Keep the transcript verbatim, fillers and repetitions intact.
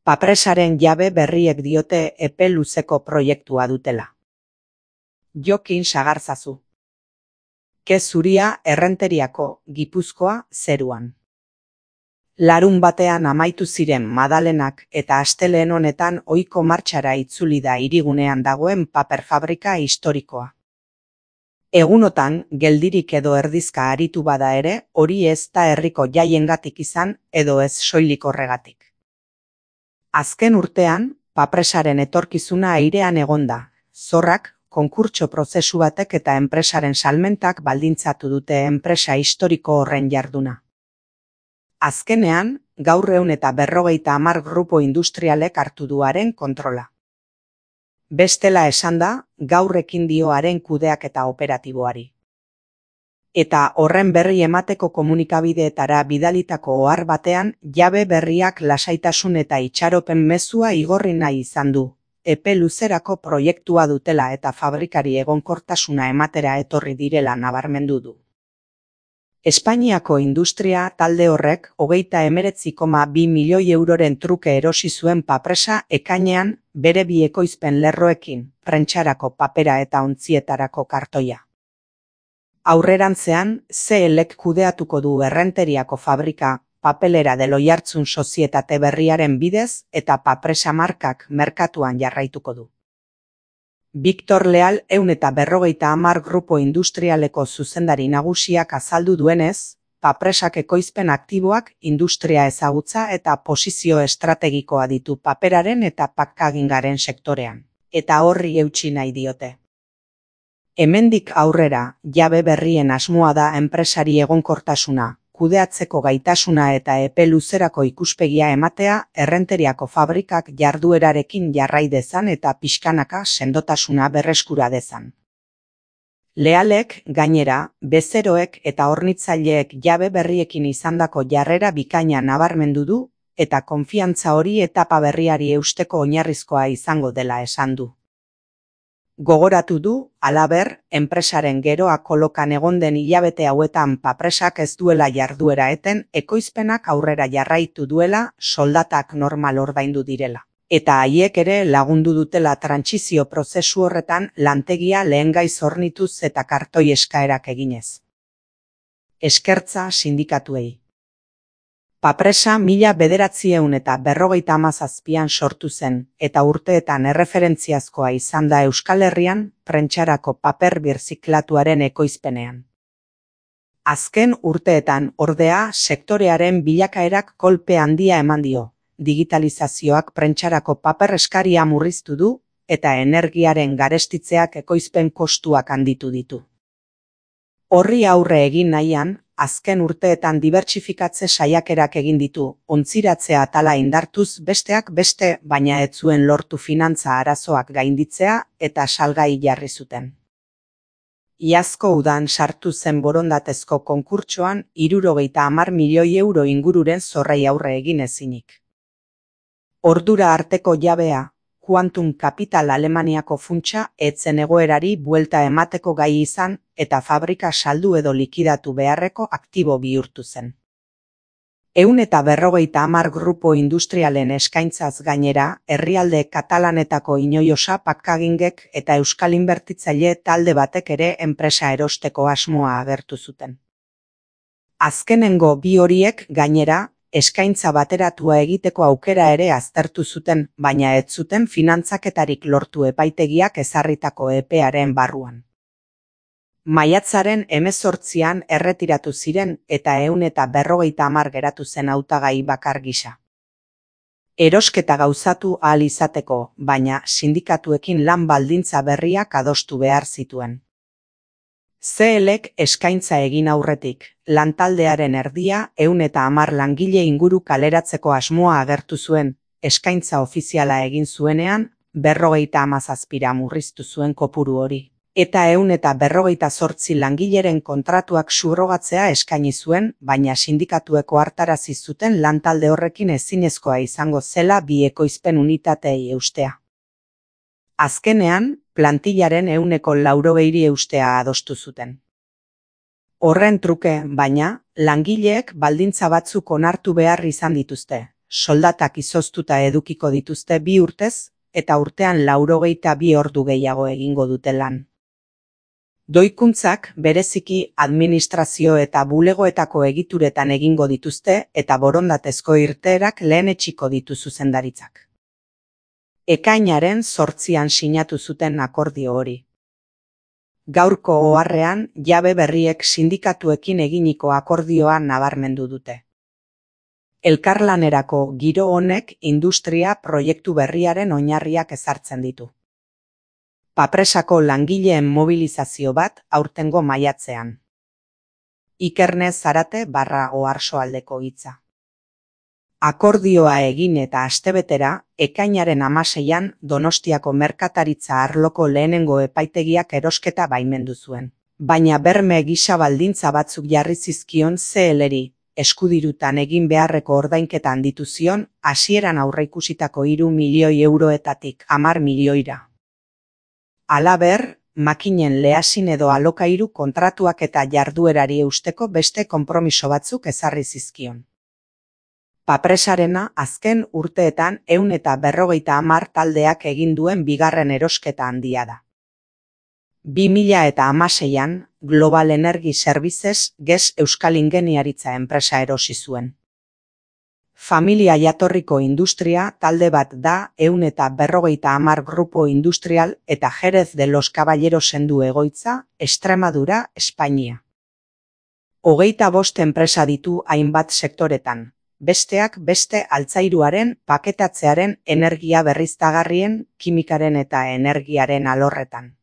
Papresaren jabe berriek diote epe luzeko proiektua dutela. Jokin sagarzazu. Ke zuria Errenteriako, Gipuzkoa, zeruan. Larun batean amaitu ziren Madalenak eta astelehen honetan ohiko martxara itzuli da hirigunean dagoen paper fabrika historikoa. Egunotan, geldirik edo erdizka aritu bada ere, hori ez da herriko jaiengatik izan edo ez soilik horregatik. Azken urtean, papresaren etorkizuna airean egonda, zorrak, konkurtso prozesu batek eta enpresaren salmentak baldintzatu dute enpresa historiko horren jarduna. Azkenean, gaur ehun eta berrogeita hamar grupo industrialek hartu duaren kontrola. Bestela esanda, gaur ekin dioaren kudeaketa operatiboari. Eta horren berri emateko komunikabideetara bidalitako ohar batean, jabe berriak lasaitasun eta itxaropen mezua igorri nahi izan du, epe luzerako proiektua dutela eta fabrikari egonkortasuna ematera etorri direla nabarmendu du. Espainiako industria talde horrek hogeita hemeretzi koma bi milioi euroren truke erosi zuen papresa ekainean bere bi ekoizpen lerroekin, prentsarako papera eta ontzietarako kartoia. Aurrerantzean, C L ek kudeatuko du Errenteriako fabrika, papelera del Oiartzun sozietate berriaren bidez eta papresa markak merkatuan jarraituko du. Victor Leal ehun eta berrogeita hamar grupo industrialeko zuzendari nagusiak azaldu duenez, papresak ekoizpen aktiboak industria ezagutza eta posizio estrategikoa ditu paperaren eta packagingaren sektorean, eta horri eutsi nahi diote. Hemendik aurrera, jabe berrien asmoa da enpresari egonkortasuna, kudeatzeko gaitasuna eta epe luzerako ikuspegia ematea Errenteriako fabrikak jarduerarekin jarrai dezan eta pixkanaka sendotasuna berreskura dezan. Lealek, gainera, bezeroek eta hornitzaileek jabe berriekin izandako jarrera bikaina nabarmendu du eta konfiantza hori etapa berriari eusteko oinarrizkoa izango dela esan du. Gogoratu du, halaber, enpresaren geroa kolokan egon den hilabete hauetan papresak ez duela jarduera eten ekoizpenak aurrera jarraitu duela soldatak normal ordaindu direla. Eta haiek ere lagundu dutela trantsizio prozesu horretan lantegia lehengaiz hornituz eta kartoi eskaerak eginez. Eskertza sindikatuei. Papresa mila bederatziehun eta berrogeita hamazazpian sortu zen, eta urteetan erreferentziazkoa izan da Euskal Herrian prentsarako paper birziklatuaren ekoizpenean. Azken urteetan, ordea, sektorearen bilakaerak kolpe handia eman dio, digitalizazioak prentsarako paper eskaria murriztu du, eta energiaren garestitzeak ekoizpen kostuak handitu ditu. Horri aurre egin nahian, azken urteetan dibertsifikatze saiakerak egin ditu, ontziratzea atala indartuz besteak beste, baina ez zuen lortu finantza arazoak gainditzea eta salgai jarri zuten. Iazko udan sartu zen borondatezko konkurtsoan hirurogeita hamar milioi euro ingururen zorrei aurre egin ezinik. Ordura arteko jabea, Quantum Capital Alemaniako funtsa etzen egoerari buelta emateko gai izan eta fabrika saldu edo likidatu beharreko aktibo bihurtu zen. Ehun eta berrogeita hamar grupo industrialen eskaintzaz gainera, herrialde katalanetako inoiosa packagingek eta euskal inbertitzaile talde batek ere enpresa erosteko asmoa agertu zuten. Azkenengo bi horiek gainera, eskaintza bateratua egiteko aukera ere aztertu zuten, baina ez zuten finantzaketarik lortu epaitegiak ezarritako epearen barruan. Maiatzaren hemezortzian erretiratu ziren eta ehun eta berrogeita hamar geratu zen hautagai bakar gisa. Erosketa gauzatu ahal izateko, baina sindikatuekin lan baldintza berriak adostu behar zituen. C L ek eskaintza egin aurretik, lantaldearen erdia ehun eta hamar langile inguru kaleratzeko asmoa agertu zuen, eskaintza ofiziala egin zuenean, berrogeita hamazazpira murriztu zuen kopuru hori. Eta ehun eta berrogeita zortzi langileren kontratuak subrogatzea eskaini zuen, baina sindikatueko hartarazi zuten lantalde horrekin ezinezkoa izango zela bi ekoizpen unitatei eustea. Azkenean, plantillaren ehuneko laurogeiri eustea adostu zuten. Horren truke, baina, langileek baldintza batzuk onartu behar izan dituzte, soldatak izoztuta edukiko dituzte bi urtez, eta urtean laurogeita bi ordu gehiago egingo dute lan. Doikuntzak bereziki administrazio eta bulegoetako egituretan egingo dituzte eta borondatezko irteerak lehenetsiko ditu zuzendaritzak. Ekainaren zortzian sinatu zuten akordio hori. Gaurko oharrean jabe berriek sindikatuekin eginiko akordioa nabarmendu dute. Elkarlanerako giro honek industria proiektu berriaren oinarriak ezartzen ditu. Papresako langileen mobilizazio bat aurtengo maiatzean. Ikerne Zarate barra Oarsoaldeko hitza. Akordioa egin eta astebetera, ekainaren hamaseian Donostiako merkataritza arloko lehenengo epaitegiak erosketa baimendu zuen. Baina berme gisa baldintza batzuk jarri zizkion C L-ri, eskudirutan egin beharreko ordainketa handitu zion, hasieran aurreikusitako hiru milioi euroetatik hamar milioira. Halaber, makinen lehasin edo alokairu kontratuak eta jarduerari eusteko beste konpromiso batzuk ezarri zizkion. Papresarena azken urteetan ehun eta berrogeita hamar taldeak egin duen bigarren erosketa handia da. bi mila eta hamaseian, Global Energy Services G E S Euskal Ingeniaritza enpresa erosi zuen. Familia jatorriko industria talde bat da ehun eta berrogeita hamar Grupo Industrial eta Jerez de los Caballerosen du egoitza, Extremadura, Espainia. Hogeita bost enpresa ditu hainbat sektoretan, besteak beste altzairuaren, paketatzearen, energia berriztagarrien, kimikaren eta energiaren alorretan.